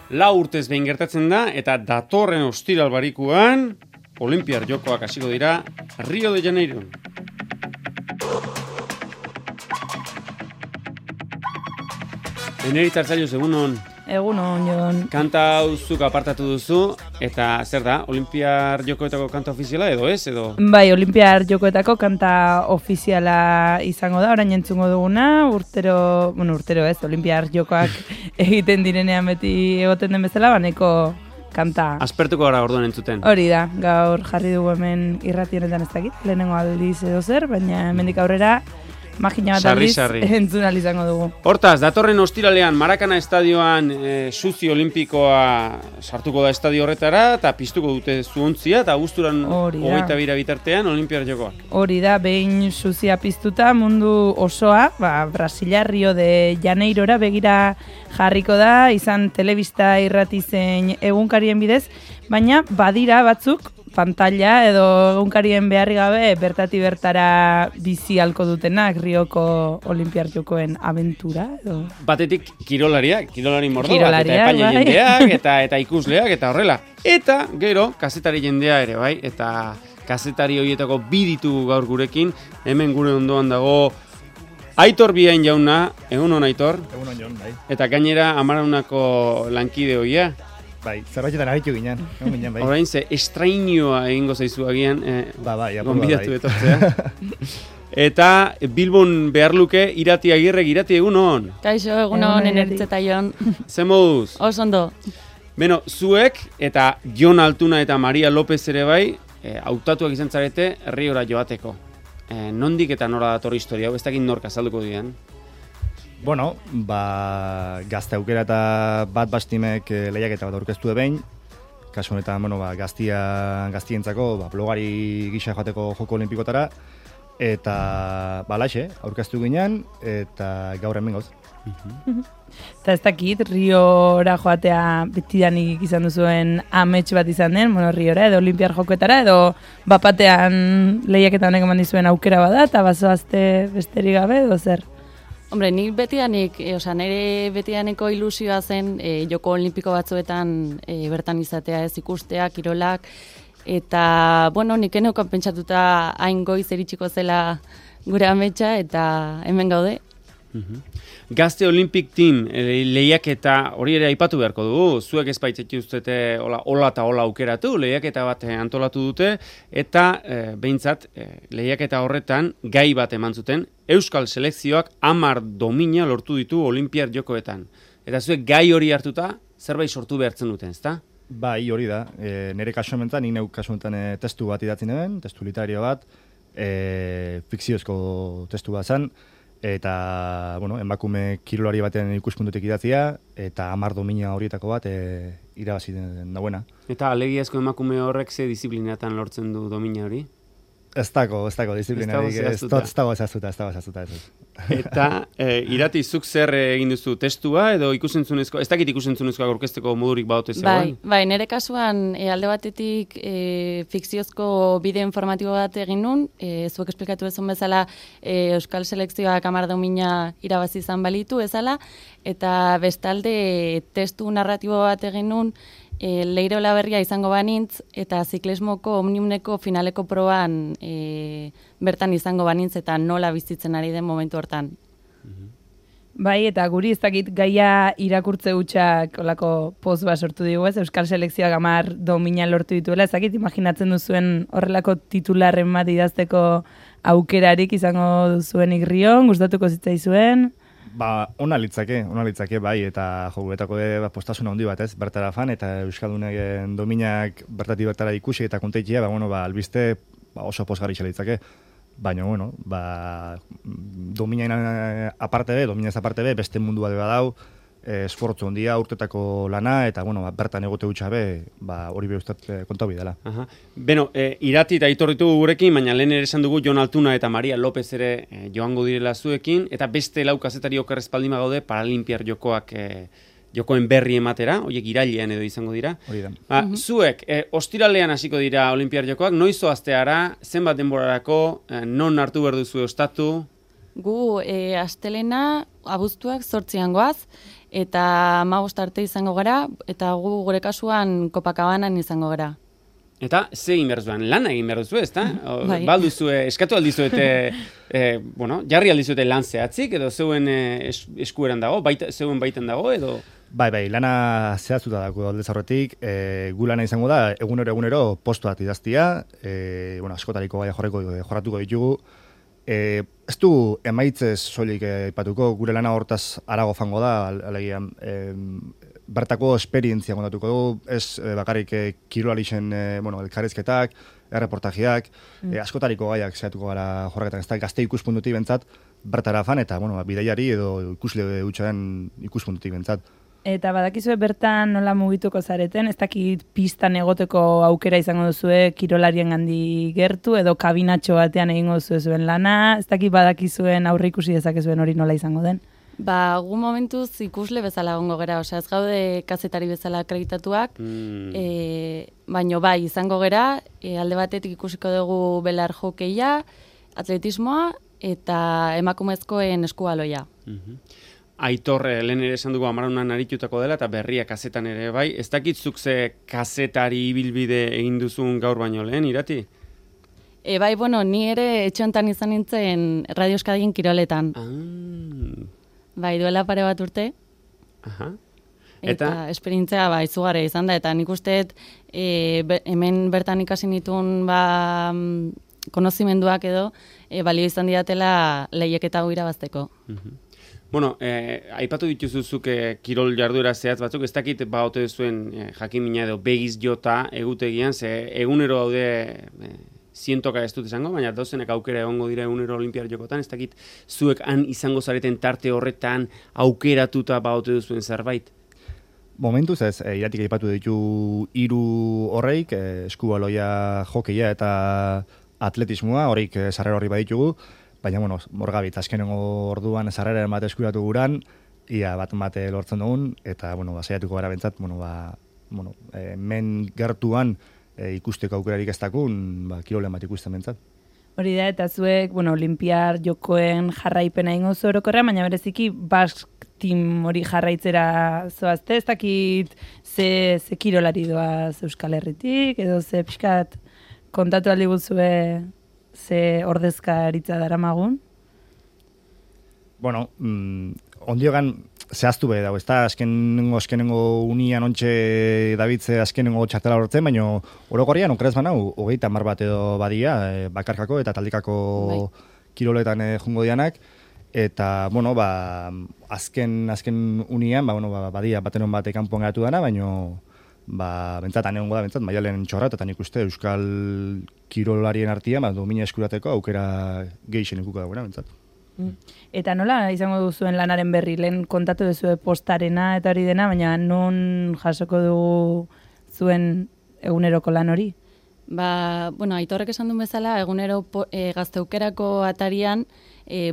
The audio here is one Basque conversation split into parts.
4 urtez behin gertatzen da, eta datorren ostiral barikuan, Olinpiar Jokoak hasiko dira Rio de Janeiro. Eneritz Artzaiuz, egunon. Egunon, Jon. Kanta hau zuk apartatu duzu, eta zer da, Olinpiar Jokoetako kanta ofiziala edo ez? Edo? Bai, Olinpiar Jokoetako kanta ofiziala izango da, orain entzungo duguna, urtero ez, Olinpiar Jokoak egiten direnean beti egoten den bezala, baneko kanta. Aspertuko gara orduan entzuten. Hori da, gaur jarri dugu hemen irrati honetan ez dakit, lehenengo aldiz edo zer, baina hemendik aurrera magina bat aldiz entzun ahal izango dugu. Hortaz, datorren ostiralean Marakana estadioan suzi olimpikoa sartuko da estadio horretara, eta piztuko dute zuontzia, eta guzturan 22 bitartean Olinpiar Jokoak. Hori da, behin suzia piztuta mundu osoa, Brasilia Rio de Janeirora begira jarriko da, izan telebista irrati zein egunkarien bidez, baina badira batzuk, pantalla edo egunkarien beharri gabe bertati bertara bizi halko dutenak Rioko Olinpiar Jokoen abentura edo. Batetik kirolari mordoak, eta epaile jendeak, eta ikusleak, eta horrela. Eta gero, kazetari jendea ere, bai, eta kazetari horietako bi ditugu gaur gurekin, hemen gure ondoan dago Aitor Biain jauna, egunon Aitor. Egunon Jon, bai. Eta gainera Amaraunako lankide hoia. Bai, zerbaitetan agitu ginen, bai. Orain ze estrainioa egingo zaizu agian, gonbidatu etortzea. Eta Bilbon behar luke Irati Agirrek, Irati egunon. Kaixo, egunon, Eneritz eta Jon. Ze moduz? Osondo. Beno, zuek eta Jon Altuna eta Maria López ere bai, hautatuak izan zarete Riora joateko. Nondik eta nora dator historia, ez dakit nork azalduko dian? Bueno, gazte aukera eta bat bastimek lehiaketa bat aurkeztu behin. Kasu honetan, gaztientzako blogari gisa joateko joko olimpikotara. Eta, laxe, aurkeztu ginen, eta gaur hemen gauz. Eta ez dakit, Riora joatea betidanik izan duzuen amets bat izan den, Riora edo Olinpiar Jokoetara, edo bapatean lehiaketa honek eman dizuen aukera bada, eta bazoazte besterik gabe, edo zer? Hombre, nik nire betidaneko ilusioa zen joko olimpiko batzuetan bertan izatea ez ikustea, kirolak, eta, nik eneukan pentsatuta hain goiz eritxiko zela gure ametsa, eta hemen gaude. Gazte Olympic Team lehiaketa hori ere aipatu beharko dugu, zuek ez baitzetu ustete hola eta hola aukeratu, lehiaketa bat antolatu dute, eta behintzat lehiaketa horretan gai bat eman zuten, Euskal Selekzioak 10 domina lortu ditu Olinpiar Jokoetan. Eta zuek gai hori hartuta, zerbait sortu behartzen duten, ezta? Bai, hori da, nire kasu honetan, nik neuk kasu honetan testu bat idatzi neben, testu literario bat, fikziozko testu bat zen, eta, emakume kirolari baten ikuspuntutik idatzia, eta 10 domina horietako bat irabazi dauena. Eta alegiazko emakume horrek ze disiplinatan lortzen du domina hori? Ez dago disiplinari, ez dago ezaztuta. Eta Irati, zuk zer egin duzu testua, edo ikusentzunezko, ez dakit ikusentzunezkoa aurkezteko modurik badote zegoen? Bai, nire kasuan alde batetik fikziozko bideo informatibo bat egin nun, zuek esplikatu ezun bezala Euskal Selekzioak 10 domina irabazi izan balitu ezala, eta bestalde testu narratibo bat egin nun, Leiro Laberria izango banintz, eta ziklismoko omniumneko finaleko proban bertan izango banintz, eta nola bizitzen ari den momentu hortan. Bai, eta guri ez dakit gaia irakurtze hutsak olako poz bat sortu digu, ez? Euskal Selekzioak 10 domina lortu dituela, ez dakit imaginatzen duzuen horrelako titularren bat idazteko aukerarik izango duzuenik Rion, gustatuko zitzaizuen? Ona litzake, bai, eta joguetako postasun handi bat, ez, bertara fan, eta Euskaldunen dominak bertati bertara ikusi eta konteikia, albiste oso posgarri litzake. Baina, dominaz aparte be, beste mundu bat badau, esfortzu handia, urtetako lana, eta, bertan egote gutxabe, hori behustat kontau bidela. Beno, Irati eta Aitor ditugu gurekin, baina lehen ere esan dugu Jon Altuna eta Maria López ere joango direla zuekin, eta beste 4 kazetari okerrezpaldima gaude Paralimpiar Jokoak jokoen berri ematera, horiek irailean edo izango dira. Hori da. Zuek, ostiralean hasiko dira Olinpiar Jokoak, noiz zoazteara, zenbat denborarako, non hartu behar duzu ostatu? Gu, astelena, abuztuak 8 goaz, eta 15 arte izango gara, eta gure kasuan Copacabanaen izango gara. Eta ze egin behar zuen, lana egin behar duzu, ezta? Bai. Balduzue, eskatu aldizuete, jarri aldizuete lan zehatzik, edo zeuen eskueran dago, zeuen baiten dago, edo... Bai, lana zehaztuta dago aldez aurretik, gu lana izango da, egunero postuak idaztia, askotariko gaia jorratuko ditugu, ez du emaitzez soilik aipatuko, gure lana hortaz arago fango da, alegian, bertako esperientzia kontatuko du, ez bakarrik kirolarixen elkarrizketak, erreportajeak, askotariko gaiak zehatuko gara jorraketan, ez da gazte ikuspuntutik bentzat, bertara fan, eta bidaiari edo ikusle utxaren ikuspuntutik bentzat. Eta badakizue bertan nola mugituko zareten, ez dakit pistan egoteko aukera izango duzue kirolarien handi gertu, edo kabinatxo batean egingo zuen lana, ez dakit badakizuen aurre ikusi dezakezuen hori nola izango den? Gu momentuz ikusle bezala gongo gera, osea ez gaude kazetari bezala akreditatuak, baino bai izango gera, alde batetik ikusiko dugu belar hokeia, atletismoa eta emakumezkoen eskubaloia. Aitor, lehen ere esan dugu Amarunan aritutako dela, eta berria kazetan ere bai. Ez dakitzuk ze kazetari ibilbide egin duzun gaur baino lehen, Irati? Bai, ni ere etxe honetan izan nintzen Radio Euskadin kiroletan. Bai, duela pare bat urte. Aha. Eta esperientzia izugarria izan da, eta nik usteet hemen bertan ikasi nituen konozimenduak edo balio izan didatela lehiaketa hau irabazteko. Aipatu dituzuzuk kirol jarduera zehatz batzuk, ez dakit ote zuen jakimina edo begiz jota egutegian, ze egunero daude zientoka ez dut esango, baina dozenek aukera egongo dira egunero olimpiar jokotan, ez dakit zuek han izango zareten tarte horretan aukeratuta ote duzuen zerbait? Momentuz ez, Iratik aipatu ditu 3 horreik, eskubaloia, hokeia eta atletismoa, horik sarrera horri baditugu, baina, morgabit, azkenengo orduan sarreraren bat eskuratu guran, ia bat lortzen dugun, eta, saiatuko gara bentzat, men gertuan ikusteko aukerarik ez dakun, kirolen bat ikusten bentzat. Hori da, eta zuek, olimpiar jokoen jarraipena ingo zu orokorrean, baina bereziki Basque Team hori jarraitzera zoazte, ez dakit ze kirolari doaz Euskal Herritik, edo ze pixkat kontatu aldi guzue ze ordezkaritza daramagun? Ondiogan zehaztu behi dago, ez da azkenengo unian ontxe dabitze azkenengo txartela horretzen, baina orokorrian okeraz banau, 30 bat edo badia, bakarkako eta taldikako kiroletan jungo dianak, eta, azken unian, badia batenon bat ekanpoan geratu dana, baina bentzatan egongo da, maialen txorra, eta nik uste Euskal kirolarien artian, domina eskurateko aukera gehixen ikuko dagoena, bentzat. Eta nola izango duzuen lanaren berri, lehen kontatu duzu postarena eta hori dena, baina non jasoko dugu zuen eguneroko lan hori? Aitorrek esan duen bezala, egunero gazteukerako atarian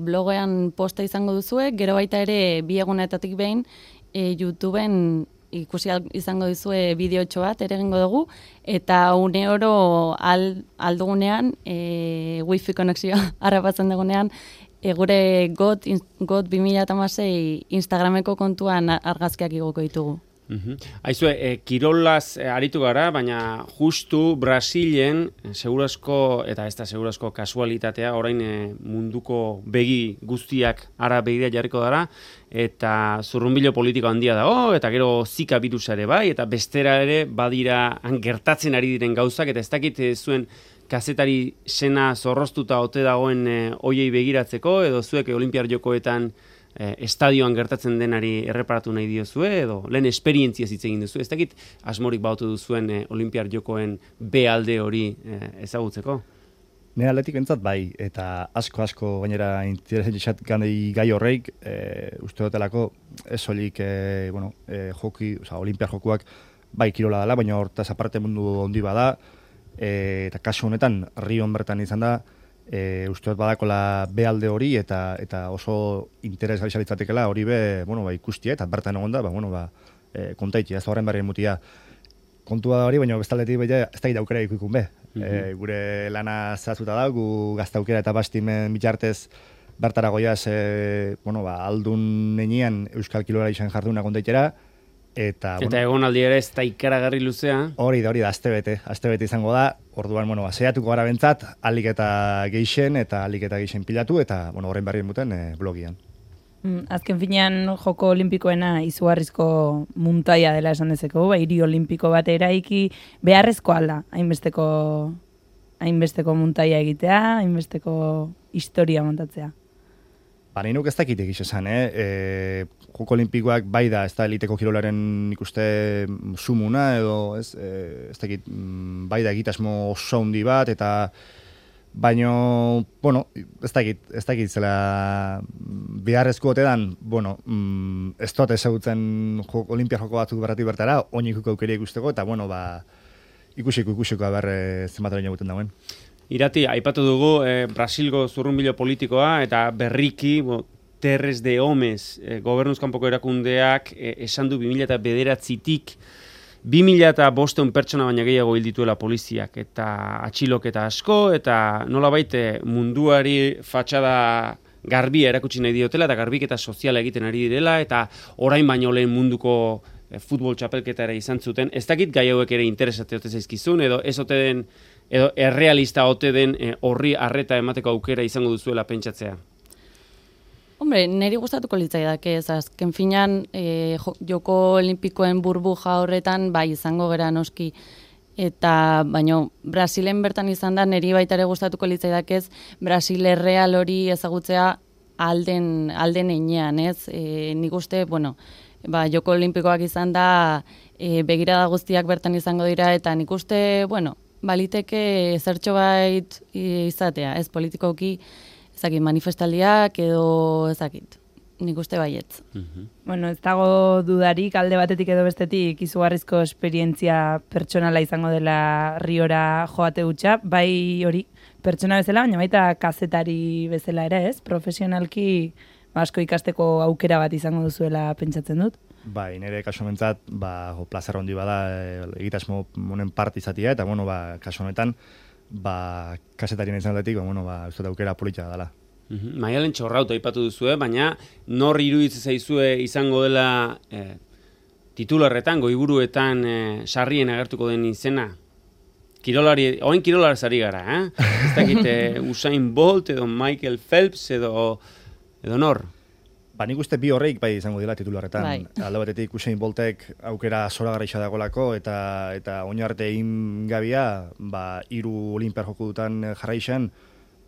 blogean posta izango duzue, gero baita ere 2 egunetatik behin YouTubeen ikusi izango dizue bideotxo bat ere egingo dugu, eta une oro aldugunean, wifi konexioa harrapatzen dugunean, gure GOT 2016 Instagrameko kontuan argazkiak igoko ditugu. Aizue, kirolaz aritu gara, baina justu Brasilen segurazko, eta ez da segurazko kasualitatea, orain munduko begi guztiak ara begira jarriko dara, eta zurrunbilo politiko handia dago, eta gero Zika birusa ere bai, eta bestera ere badira gertatzen ari diren gauzak, eta ez dakit zuen kazetari sena zorroztuta ote dagoen hoiei begiratzeko, edo zuek olimpiar jokoetan estadioan gertatzen denari erreparatu nahi diozue, edo lehen esperientzia hitz egin duzu. Ez dakit asmorik bautu duzuen olimpiar jokoen B alde hori ezagutzeko? Nire aldetik bentzat bai, eta asko gainera interesatxat gai horreik, uste dutelako ez soilik olimpiar jokuak bai kirola dela, baina hortaz aparte mundu ondi bada, eta kasu honetan Rion bertan izan da, uste dut badakola behalde hori eta oso interesgarri litzatekeela hori ikustia eta bertan egon da, kontaitia, ez horren berrien mutia kontua da hori, baina bestaldetik ez da aukera ikukun be. Gure lana zehaztuta da, gu gaztaukera eta bastimen bitartez bertara goiaz, aldun nenean Euskal Kilolari izan jarduna kontaitera, eta egon aldi ere ez da ikaragarri luzea. Hori da, astebete izango da, orduan, saiatuko gara bentzat, alik eta geixen pilatu, eta, horren berrien buten blogian. Azken finean joko olimpikoena izugarrizko muntaia dela esan dezeko, hiri olimpiko bat eraiki beharrezko alda, hainbesteko muntaia egitea, hainbesteko historia montatzea. Nahi nuk ez dakit egiz esan, Joko Olimpikoak bai da, ez da eliteko kirolaren ikuste sumuna, edo ez dakit, bai da egitasmo oso handi bat, eta baino, ez dakit zela beharrezko otedan, ez dut ezagutzen Olimpia joko batzuk berratik bertara, oinikuko aukeria ikusteko, eta ikusiko haber zenbataren egiten dauen. Irati, aipatu dugu Brasilgo zurrunbilo politikoa eta berriki Terres de Homes gobernuzkanpoko erakundeak esan du 2009-tik 2.500 pertsona baina gehiago hil dituela poliziak eta atxiloketa asko eta nolabait munduari fatxada garbia erakutsi nahi diotela eta garbiketa soziala egiten ari direla eta orain baino lehen munduko futbol txapelketa ere izan zuten. Ez dakit gai hauek ere interesate ote zaizkizun edo ez ote den edo errealista ote den horri arreta emateko aukera izango duzuela pentsatzea? Hombre, niri gustatuko litzaidake ez, azken finan joko olimpikoen burbuja horretan bai izango gera noski. Eta, baino, Brasilen bertan izan da, niri baita ere gustatuko litzaidake ez, Brasil erreal hori ezagutzea alden einean, ez? Nik uste, joko olimpikoak izan da, begirada guztiak bertan izango dira, eta nik uste, baliteke zertxo bait izatea, ez politikoki, ezakit, manifestaldiak edo ezakit, nik uste baietz. Ez dago dudarik, alde batetik edo bestetik izugarrizko esperientzia pertsonala izango dela Riora joate hutsa, bai hori pertsona bezala, baina baita kazetari bezala ere, ez? Profesionalki asko ikasteko aukera bat izango duzuela pentsatzen dut. Bai, nire kaso mentzat, plazer handi bada egitasmo honen part izatia, eta, kaso honetan, kasetarien izan datik, ez dut aukera politxak dela. Maialen Txorrauta aipatu duzue, baina nor iruditzen zaizue izango dela titularretan, goiburuetan sarrien agertuko den izena? Oain kirolari zari gara, Ez dakit Usain Bolt edo Michael Phelps edo nor? Nik uste bi horreik bai izango dela titularretan. Alde batetik Usain Boltek aukera zoragarri dagolako eta oinarte egin gabia, 3 olimpiar joko dutan jarraixan,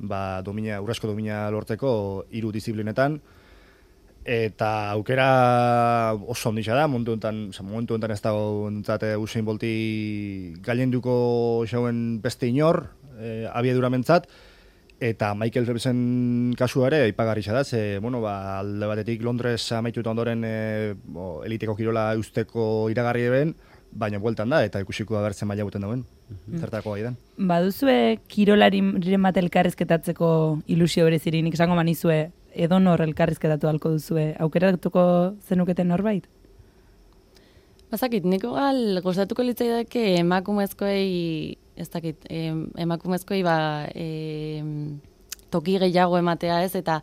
urrezko domina lortzeko 3 disiplinetan, eta aukera oso onditza da, momentu enten ez dago Usain Bolti gailenduko xauen beste inor, abiedura mentzat, eta Michael Phelpsen kasua ere aipagarri da, alde batetik Londres amaituta ondoren eliteko kirola eusteko iragarri eben, baina bueltan da, eta ikusiko da bertzen maila guten dauen, zertako gai den. Baduzue kirolariren bat elkarrizketatzeko ilusio berezirik, nik esango manizue, edonor elkarrizketatu halko duzue, aukeratuko zenuketen norbait? Bazakit, niko gustatuko litzaidake emakumezkoei, ez dakit, emakumezkoei toki gehiago ematea ez, eta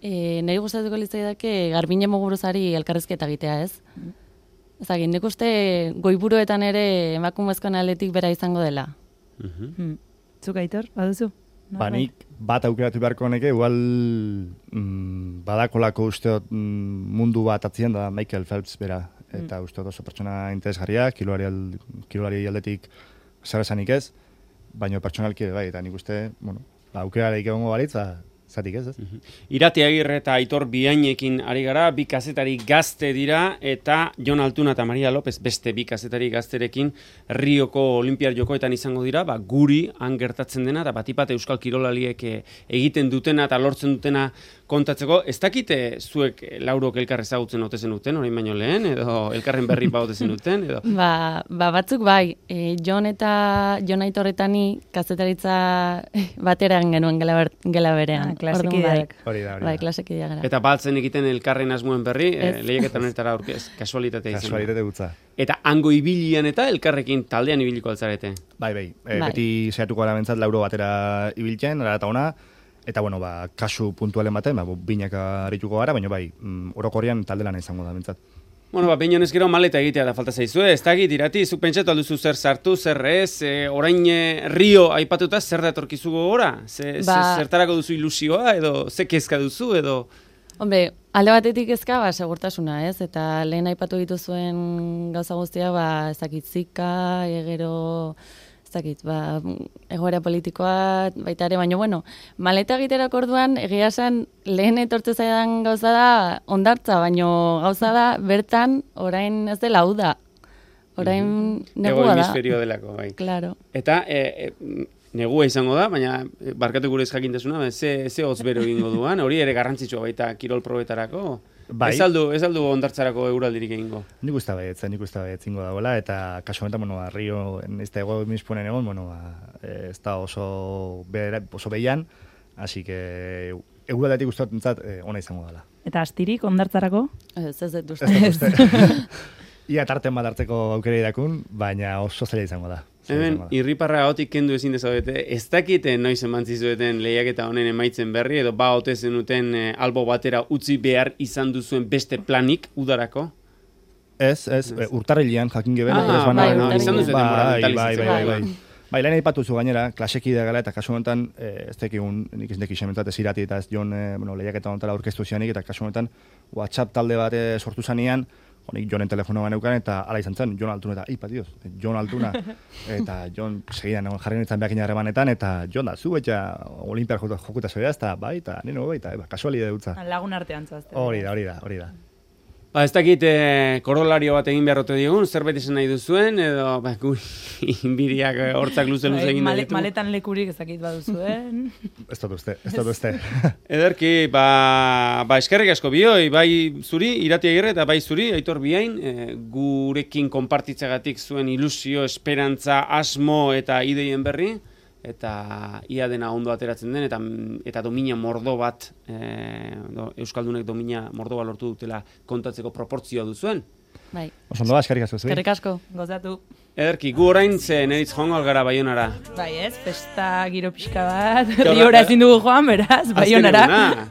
niri gustatuko litzaidake Garbine Muguruzari elkarrizketa egitea ez. Ezagin, nik uste goiburuetan ere emakumezkoen aldetik bera izango dela. Zuk Aitor, baduzu? Nik bat aukeratu beharko neke, igual badakolako usteot mundu bat atzien da Michael Phelps bera. Eta usteot oso pertsona interesgarria, kirolari aldetik zer esanik ez, baina pertsonalki bai, eta nik uste, aukerarik egongo baritz, zatik ez. Irati Agirre eta Aitor Biainekin ari gara, 2 kazetari gazte dira, eta Jon Altuna eta Maria López beste 2 kazetari gazterekin Rioko Olimpiar Jokoetan izango dira, guri han gertatzen dena, eta batipat euskal kirolaliek egiten dutena eta lortzen dutena kontatzeko. Ez dakite zuek laurok elkar ezagutzen ote zenuten, orain baino lehen, edo elkarren berri ote zenuten, edo? Batzuk bai, Jon Aitorretani kazetaritza batera genuen gela berean. Klasekideak. Hori da. Bai, klasekideak gara. Eta baltzen egiten elkarren asmoen berri, lehiaketan honetara aurkez, kasualitatea izan. Kasualitate gutza. Eta hango ibilian eta elkarrekin taldean ibiliko altzarete. Bai. Beti saiatuko gara bentzat lauro batera ibiltzen, ara eta ona, Eta, bueno, kasu puntualen baten, binak arituko gara, baina bai, orokorrean talde lana izango da, bentsat. Bueno, behin honez gero maleta egitea da falta zaizue, ez dakit, irati, zuk pentsatu alduzu zer sartu, zer ez, orain Rio aipatuta zer da etorkizu gogora? Zertarako duzu ilusioa, edo ze kezka duzu, edo... Hombre, alde batetik ezka, segurtasuna, ez? Eta lehen aipatu dituzuen gauza guztia, ez dakit zika, gero... ez dakit, egoera politikoa, baita ere, baina, bueno, maleta egiterak orduan, egia esan, lehen etortze zaidan gauza da, ondartza, baina gauza da, bertan, orain ez dela hau da. Orain negua da. Ego hemisferio delako, bai. Claro. Eta, negua izango da, baina, barkatu gure ez jakintasuna, ze hotz bero egingo duan, hori ere garrantzitsua baita kirol probetarako. Bai. Ez aldu ondartzarako euraldirik egingo. Nik uste zingo dagoela, eta kasu honetan, Rio, ez da ego misponen egon, ez da oso behian, hasi que euraldatik uste entzat ona izango dela. Eta astirik ondartzarako? Ez dut uste. Ia tarten bat hartzeko aukera irakun, baina oso zaila izango da. Hemen, irriparra gaotik kendu ezin dezaudete, ez dakite noiz emantzizueten lehiaketa honen emaitzen berri, edo ote zenuten albo batera utzi behar izan duzuen beste planik udarako? Ez, urtarrilean jakin geben. Izan duzuten Bai, lehen aipatuzu gainera, klaseki da gala, eta kasu honetan, ez tekigun, nik ez dekixen mentzat, ez irati eta ez jon lehiaketa honetara aurkeztu zianik, eta kasu honetan, WhatsApp talde bat sortu zanean, honik Jonen telefonoa neukan, eta ala izan zen, Jon Altuna, eta Dios, Jon Altuna, eta Jon segidan jarri nintzen behakin harremanetan, eta Jon da, zu, eta Olimpiar jokuta zoia, eta bai, eta nino, eta kasualide dutza. Lagun artean zazte. Hori da. Ez dakit korolario bat egin beharrote digun, zerbait esan nahi duzuen, edo inbiriak hortzak luze egin nahi ditu. Maletan lekurik ez dakit baduzuen. Ez dut uste. Ederki, eskerrik asko bioi, bai zuri, Irati Agirre, eta bai zuri, Aitor Biain, gurekin konpartitzagatik zuen ilusio, esperantza, asmo eta ideien berri, eta ia dena ondo ateratzen den, eta domina mordo bat, Euskaldunek domina mordo bat lortu dutela kontatzeko proportzioa duzuen. Bai. Oso ondo da, eskerrik asko zuen. Eskerrik asko. Gozatu. Ederki, gu orain neritz joango algara Baionara. Bai ez, festa giro pixka bat, Riora ezin dugu joan, beraz, Baionara.